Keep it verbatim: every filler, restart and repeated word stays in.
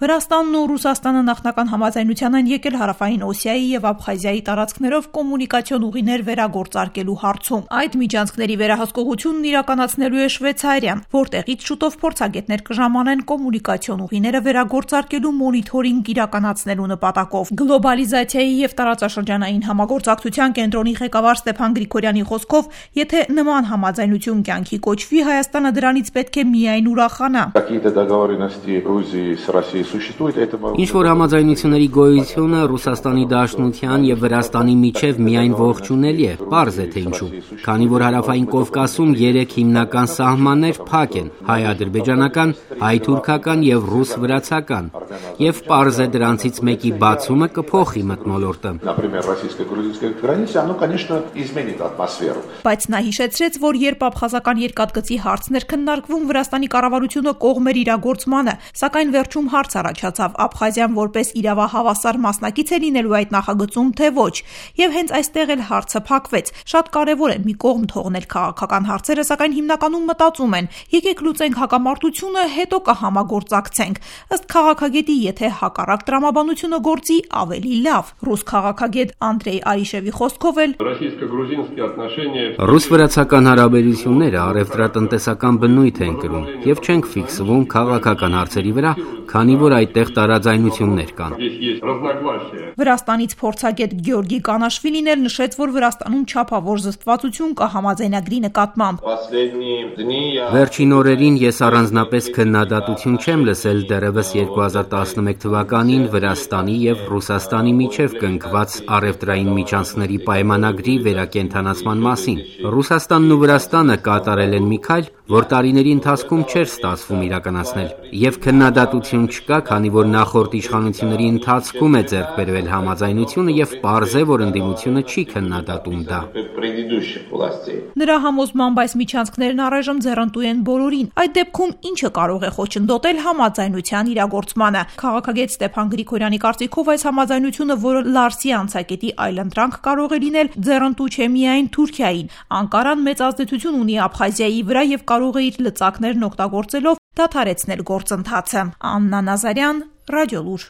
Վրաստանն ու Ռուսաստանը նախնական համաձայնության են եկել Հարավային Օսիայի եւ Աբխազիայի տարածքներով կոմունիկացիոն ուղիներ վերագործարկելու հարցում։ Այդ միջանցքների վերահսկողությունն իրականացնելու է Շվեյցարիան, որտեղից շուտով փորձագետներ կժամանեն կոմունիկացիոն ուղիները վերագործարկելու մոնիթորինգ իրականացնելու նպատակով։ Գլոբալիզացիայի եւ տարածաշրջանային համագործակցության կենտրոնի ղեկավար Ստեփան Գրիգորյանի խոսքով, եթե նման համաձայնություն կյանքի կոչվի, Հայաստանը դրանից պետք է միայն ուրախանա։ Ինչ-որ համաձայնությունների գոյությունը Ռուսաստանի Դաշնության եւ Վրաստանի միջև միայն ողջունելի է, պարզ է թե ինչու։ Քանի որ Հարավային Կովկասում երեք հիմնական սահմաններ փակ են՝ հայ-ադրբեջանական, հայ-թուրքական եւ ռուս-վրացական, եւ պարզ է դրանցից մեկի բացումը կփոխի մթնոլորտը։ Բայց նա հիշեցրեց, որ երբ աբխազական երկաթգծի հարցն էր քննարկվում, Վրաստանի կառավարությունը կողմ էր իրագործմանը, սակայն վերջում հարց առաջացավ Աբխազիան որպես իրավահավասար մասնակից է լինելու այդ նախագծում, թե ոչ, եւ հենց այստեղ էլ հարցը փակվեց։ Շատ կարեւոր է մի կողմ թողնել քաղաքական հարցերը, սակայն հիմնականում մտածում են՝ եկեք լուծենք հակամարտությունը, հետո կհամագործակցենք։ Ըստ քաղաքագետի, եթե հակառակ տրամաբանությունը գործի, ավելի լավ։ Ռուս քաղաքագետ Անդրեյ Արիշևի խոսքով էլ ռուս-վրացական հարաբերությունները առևտրատնտեսական բնույթ են կրում եւ չենք ֆիքսվում քաղաքական հարցերի վրա, քանի որ այդտեղ տարաձայնություններ կան։ Վրաստանից փորձագետ Գյորգի Կանաշվիլին էլ նշեց, որ Վրաստանում չափավոր զսպվածություն կա համաձայնագրի նկատմամբ։ Վերջին օրերին ես առանձնապես քննադատություն չեմ լսել դեռևս երկու հազար տասնմեկ թվականին Վրաստանի եւ Ռուսաստանի միջև կնքված առևտրային միջանցքների պայմանագրի վերակենդանացման մասին։ Ռուսաստանն ու Վրաստանը կատարել են մի քայլ, որ տարիների ընթացքում չէր ստացվում իրականացնել, եւ քննադատություն չկա, քանի որ նախորդ իշխանությունների ընթացքում է ձեռք բերվել համաձայնությունը եւ պարզ է, որ ընդդիմությունը չի քննադատում դա։ Նրա համոզմամբ այս միջանցքներն առայժմ ձեռնտու են բոլորին։ Այդ դեպքում ինչը կարող է խոչընդոտել համաձայնության իրագործմանը։ Քաղաքագետ Ստեփան Գրիգորյանի կարծիքով այս համաձայնությունը, որը Լարսի անցակետի այլընտրանք կարող է լինել, ձեռնտու չէ միայն Թուրքիային։ Անկարան մեծ ազդեցություն ունի Աբխազիայի վրա եւ կարող է իր լծակներն օգտագործելով դադարեցնել գործընթացը։ Աննա Նազարյան, Ռադիոլուր։